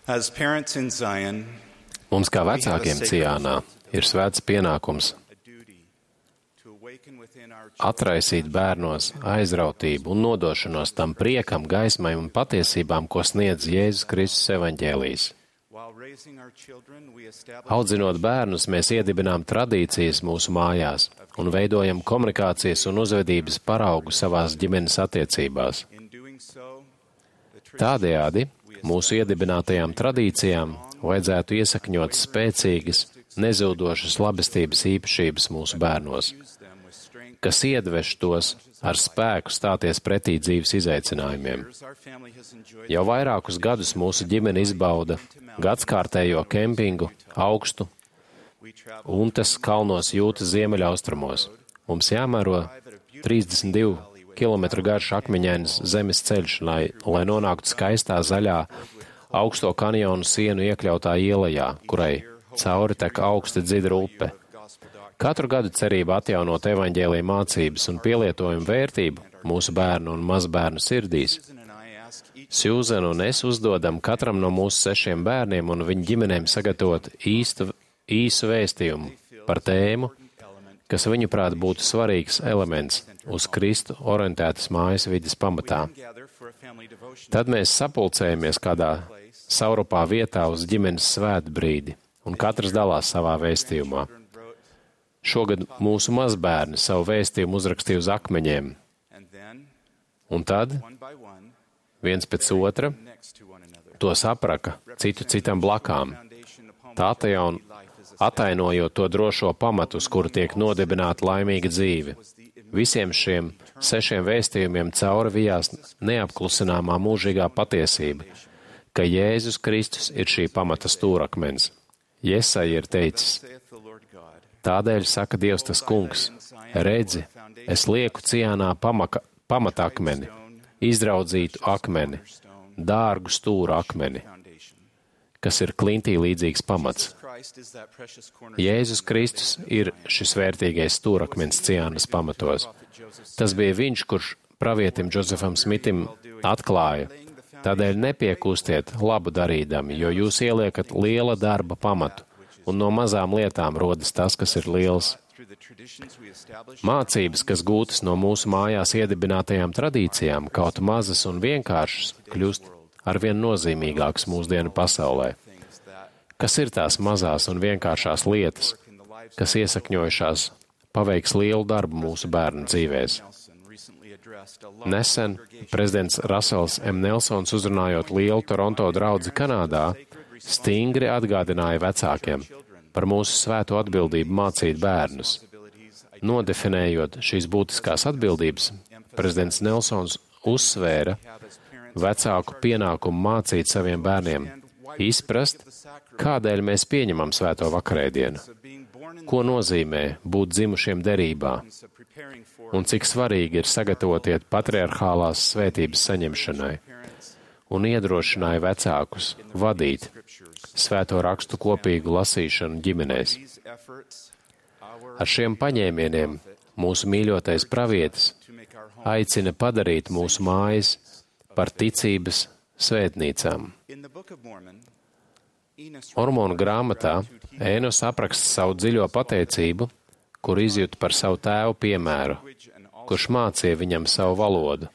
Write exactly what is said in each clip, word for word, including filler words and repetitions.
As parents in Zion, Mums kā vecākiem Cijānā ir svēts pienākums a duty to awaken within our atraisīt bērnos aizrautību un nodošanos tam priekam, gaismai un patiesībām, ko sniedz Jēzus Kristus evaņģēlijs. while raising our children, we establish Audzinot bērnus, mēs iedibinām tradīcijas mūsu mājās un veidojam komunikācijas un uzvedības paraugu savās ģimenes attiecībās. in doing so the Tādējādi mūsu iedibinātajām tradīcijām vajadzētu iesakņot spēcīgas, nezudošas labestības īpašības mūsu bērnos, use them with strength. kas iedveš tos ar spēku stāties pretī dzīves izaicinājumiem. Years our family has enjoyed Jau vairākus gadus mūsu ģimene izbauda gadskārtējo kempingu augstu we travel Untas kalnos Jūtas ziemeļaustrumos. Mums jāmēro trīsdesmit divu kilometru garš akmeņains zemes ceļš, lai, lai nonāktu skaistā zaļā augsto kanjonu sienu iekļautā ielajā, kurai cauri tek augsta dzidra upe. gospel doctrine. Katru gadu cerība atjaunot evaņģēlija mācības un pielietojumu vērtību mūsu bērnu un mazbērnu sirdīs. Susan and I ask each Sjūzena un es uzdodam katram no mūsu sešiem bērniem un viņu ģimenēm sagatavot īstu, īsu vēstījumu par tēmu, element kas viņuprāt būtu svarīgs elements uz Kristu orientētas mājas vides pamatā. gather for a family devotion. Tad mēs sapulcējamies kādā saurupā vietā uz ģimenes svētbrīdi, un katrs dalās savā vēstījumā. Children wrote, Šogad mūsu mazbērni savu vēstījumu uzrakstīja uz akmeņiem, and then un tad one by one viens pēc otra next to one another. to sapraka citu citam blakām, Foundation upon tā tajā un atainojot to drošo pamatu, uz kuru tiek nodibināta laimīga dzīve. Visiem šiem sešiem vēstījumiem cauri vijās neapklusināmā mūžīgā patiesība, ka Jēzus Kristus ir šī pamata stūrakmens. Jesaja ir teicis: saith the Lord God. Tādēļ saka Dievs tas kungs, redzi, es lieku Cijānā pamaka, pamatakmeni, izraudzītu akmeni, dārgu stūru akmeni, Foundation. kas ir klintī līdzīgs pamats. Christ is that precious corner. Jēzus Kristus ir šis vērtīgais stūrakmens Cijānas pamatos. Tas bija viņš, kurš pravietim Džozefam Smitim atklāja: tādēļ nepiekūstiet labu darīdami, jo jūs ieliekat liela darba pamatu, un no mazām lietām rodas tas, kas ir liels. Through the traditions we establish, Mācības, kas gūtas no mūsu mājās iedibinātajām tradīcijām, kaut mazas un vienkāršas, kļūst arvien nozīmīgākas mūsdienu pasaulē. things that Kas ir tās mazās un vienkāršās lietas, in the lives kas iesakņojušās paveiks lielu darbu mūsu bērnu dzīvēs? Nelson recently addressed a large Nesen prezidents Rasels M. Nelsons, uzrunājot lielu Toronto draudzi Kanādā, stingri atgādināja vecākiem par mūsu svēto atbildību mācīt bērnus. responsibilities Nodefinējot šīs būtiskās atbildības, prezidents Nelsons uzsvēra have as parents vecāku pienākumu mācīt saviem bērniem, izprast, kādēļ mēs pieņemam svēto vakarēdienu, of being born in ko nozīmē būt dzimušiem derībā, the of preparing for un cik svarīgi ir sagatavoties patriarchālās svētības saņemšanai, parents un iedrošināja vecākus vadīt svēto rakstu kopīgu lasīšanu ģimenēs. these efforts our Ar šiem paņēmieniem mūsu mīļotais pravietis to make our home aicina padarīt mūsu mājas par ticības svētnīcām. in the Book of Mormon. Enos Mormonu grāmatā Ēnos apraksta savu dziļo pateicību, kur izjūt par savu tēvu piemēru, language and all kurš mācīja viņam savu valodu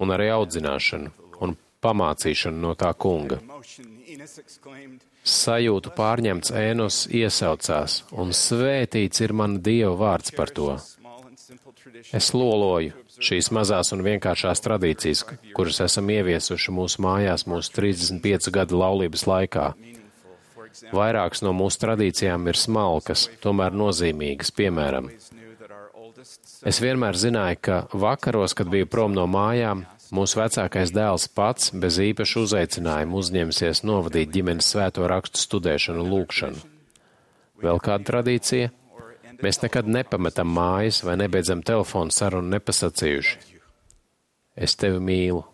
un arī audzināšanu un pamācīšanu no tā kunga. emotion. Enos exclaimed, Sajūtu pārņemts Ēnos iesaucās, un svētīts ir mana Dieva vārds par to. small and simple tradition Es loloju šīs mazās un vienkāršās tradīcijas, kuras esam ieviesuši mūsu mājās mūsu trīsdesmit piecu gadu laulības laikā. meaningful. For example, Vairākas no mūsu tradīcijām ir smalkas, tomēr nozīmīgas, piemēram. always knew that our oldest son Es vienmēr zināju, ka vakaros, kad biju prom no mājām, mūsu vecākais dēls pats bez īpaša uzaicinājuma uzņemsies novadīt ģimenes svēto rakstu studēšanu un lūkšanu. Vēl kāda tradīcija? Mēs nekad nepametam mājas vai nebeidzam telefonu sarunu nepasacījuši: es tevi mīlu.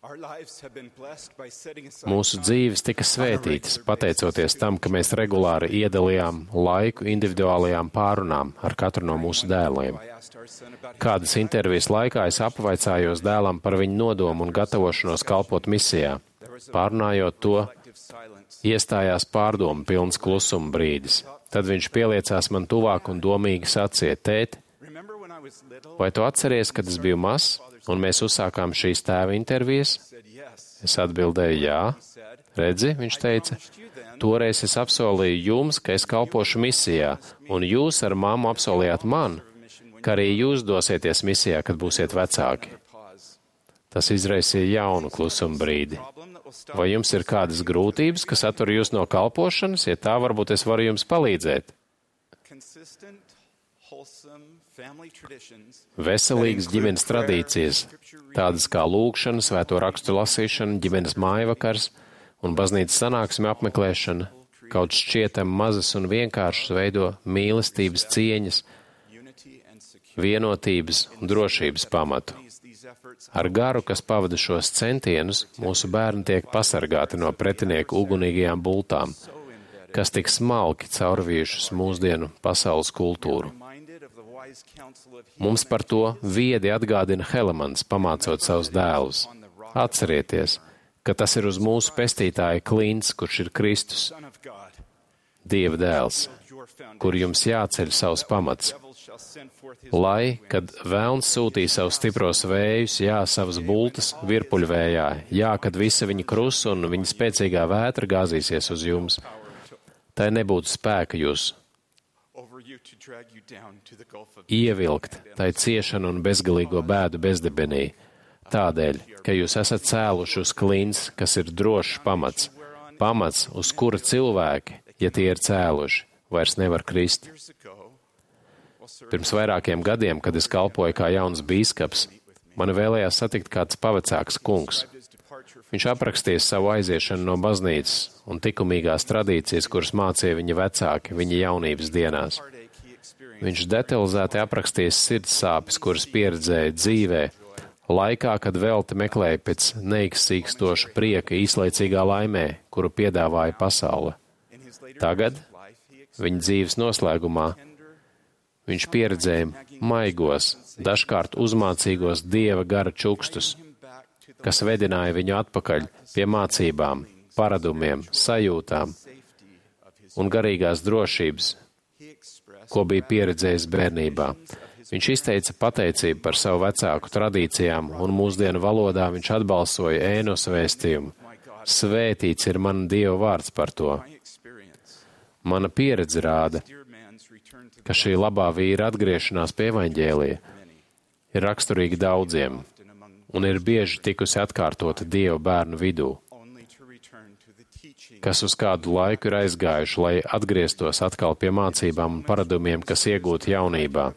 Our lives have been blessed by setting aside Mūsu dzīves tika svētītas, pateicoties tam, ka mēs regulāri iedalījām laiku individuālajām pārunām ar katru no mūsu dēliem. I asked our son about his Kādas intervijas laikā es apvaicājos dēlam par viņu nodomu un gatavošanos kalpot misijā. There Pārunājot to, iestājās pārdomu pilns klusuma brīdis. Tad viņš pieliecās man tuvāk un domīgi sacīja: Tēt, vai tu atceries, kad es biju mazs, un mēs uzsākām šīs tēva intervijas? Es atbildēju: jā. Redzi, viņš teica, toreiz es apsolīju jums, ka es kalpošu misijā, un jūs ar mammu apsolījāt man, ka arī jūs dosieties misijā, kad būsiet vecāki. Tas izraisīja jaunu klusuma brīdi. Vai jums ir kādas grūtības, kas attur jūs no kalpošanas? Ja tā, varbūt es varu jums palīdzēt. Veselīgas ģimenes tradīcijas, tādas kā lūgšana, svēto rakstu lasīšana, ģimenes mājvakars un baznīcas sanāksme apmeklēšana, kaut šķietam mazas un vienkāršas veido mīlestības cieņas, vienotības un drošības pamatu. Ar garu, kas pavada šos centienus, mūsu bērni tiek pasargāti no pretinieku ugunīgajām bultām, kas tik smalki caurvījušas mūsdienu pasaules kultūru. Mums par to viedi atgādina Helemans, pamācot savus dēlus. Atcerieties, ka tas ir uz mūsu pestītāja klints, kurš ir Kristus, Dieva dēls, kur jums jāceļ savs pamats. Lai, kad velns sūtīja savus stipros vējus, jā, savas bultas virpuļvējā, jā, kad visa viņa krusa un viņa spēcīgā vētra gāzīsies uz jums, tai nebūtu spēka jūs ievilkt, tai ciešanu un bezgalīgo bēdu bezdebenī, tādēļ, ka jūs esat cēluši uz klints, kas ir drošs pamats, pamats, uz kura cilvēki, ja tie ir cēluši, vairs nevar krist. Pirms vairākiem gadiem, kad es kalpoju kā jauns bīskaps, mani vēlējās satikt kāds pavecāks kungs. Viņš aprakstīja savu aiziešanu no baznīcas un likumīgās tradīcijas, kuras mācīja viņa vecāki viņa jaunības dienās. Viņš detalizēti aprakstījis sirds sāpes, kuras pieredzēja dzīvē, laikā, kad velti meklēja pēc neizsīkstoša prieka īslaicīgā laimē, kuru piedāvāja pasaule. Tagad, viņa dzīves noslēgumā, viņš pieredzēja maigos, dažkārt uzmācīgos Dieva gara čukstus, kas vedināja viņu atpakaļ pie mācībām, paradumiem, sajūtām un garīgās drošības, ko bija pieredzējis bērnībā. Viņš izteica pateicību par savu vecāku tradīcijām, un mūsdienu valodā viņš atbalsoja Ēnos vēstījumu. Svētīts ir mana Dieva vārds par to. Mana pieredze rāda, ka šī labā vīra atgriešanās pie evaņģēlija ir raksturīga daudziem un ir bieži tikusi atkārtota Dieva bērnu vidū, kas uz kādu laiku ir aizgājuši, lai atgrieztos atkal pie mācībām un paradumiem, kas iegūti jaunībā.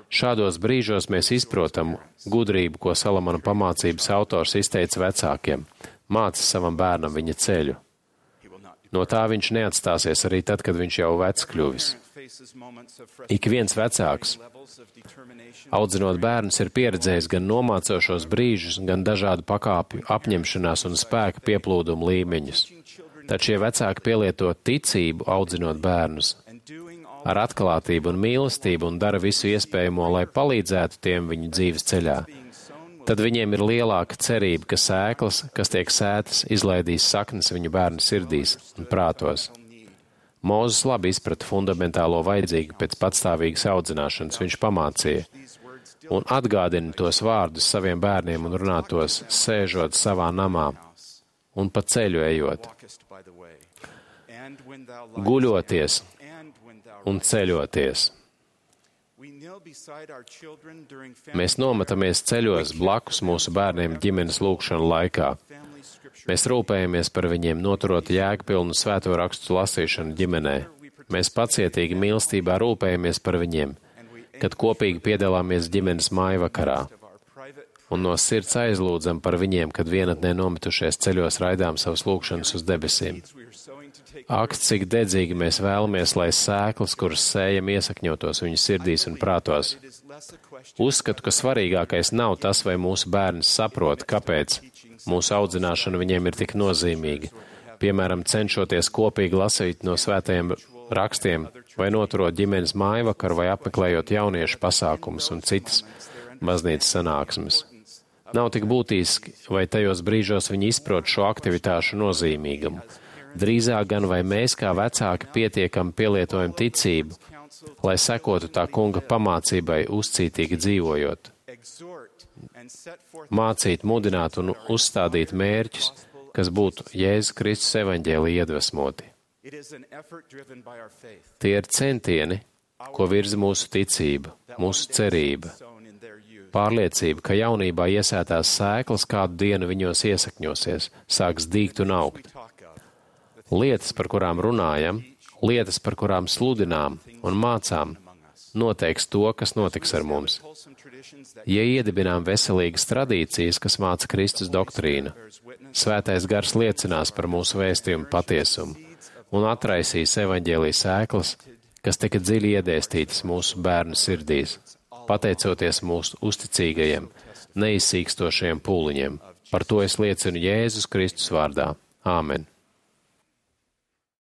Šādos brīžos mēs izprotam gudrību, ko Salamana pamācības autors izteica vecākiem. Māci savam bērnam viņa ceļu. No tā viņš neatstāsies arī tad, kad viņš jau vecs kļuvis. Ik viens vecāks, audzinot bērnus, ir pieredzējis gan nomācošos brīžus, gan dažādu pakāpju apņemšanās un spēka pieplūdumu līmeņus. Tad šie vecāki pielieto ticību, audzinot bērnus, ar atklātību un mīlestību un dara visu iespējamo, lai palīdzētu tiem viņu dzīves ceļā. Tad viņiem ir lielāka cerība, ka sēklas, kas tiek sētas, izlaidīs saknes viņu bērnu sirdīs un prātos. Mūzes labi izprata fundamentālo vajadzīgu pēc patstāvīgas audzināšanas, viņš pamācīja un atgādina tos vārdus saviem bērniem un runā tos, sēžot savā namā un pa ceļu ejot, guļoties un ceļoties. Mēs nometamies ceļos blakus mūsu bērniem ģimenes lūgšanu laikā. Mēs rūpējamies par viņiem, noturot jēgpilnu svēto rakstu lasīšanu ģimenē. Mēs pacietīgi mīlestībā rūpējamies par viņiem, kad kopīgi piedalāmies ģimenes mājvakarā. Un no sirds aizlūdzam par viņiem, kad vienatnē nometušies ceļos raidām savas lūgšanas uz debesīm. Ak, cik dedzīgi mēs vēlamies, lai sēklas, kuras sējam, iesakņotos viņu sirdīs un prātos. Uzskatu, ka svarīgākais nav tas, vai mūsu bērns saprot, kāpēc mūsu audzināšana viņiem ir tik nozīmīga. Piemēram, cenšoties kopīgi lasīt no svētajiem rakstiem, vai noturot ģimenes mājvakaru, vai apmeklējot jauniešu pasākumus un citas baznīcas sanāksmes. Nav tik būtiski, vai tajos brīžos viņi izprot šo aktivitāšu nozīmīgumu. Drīzāk gan vai mēs kā vecāki pietiekami pielietojam ticību, lai sekotu tā kunga pamācībai uzcītīgi dzīvojot. Mācīt, mudināt un uzstādīt mērķus, kas būtu Jēzus Kristus evaņģēlija iedvesmoti. Tie ir centieni, ko virza mūsu ticība, mūsu cerība. Pārliecība, ka jaunībā iesētās sēklas kādu dienu viņos iesakņosies, sāks dīgt un augt. Lietas, par kurām runājam, lietas, par kurām sludinām un mācām, noteiks to, kas notiks ar mums. Ja iedibinām veselīgas tradīcijas, kas māca Kristus doktrīnu, Svētais Gars liecinās par mūsu vēstījumu patiesumu un atraisīs evaņģēlijas sēklas, kas tika dziļi iedēstītas mūsu bērnu sirdīs, pateicoties mūsu uzticīgajiem, neizsīkstošajiem pūliņiem. Par to es liecinu Jēzus Kristus vārdā. Āmen.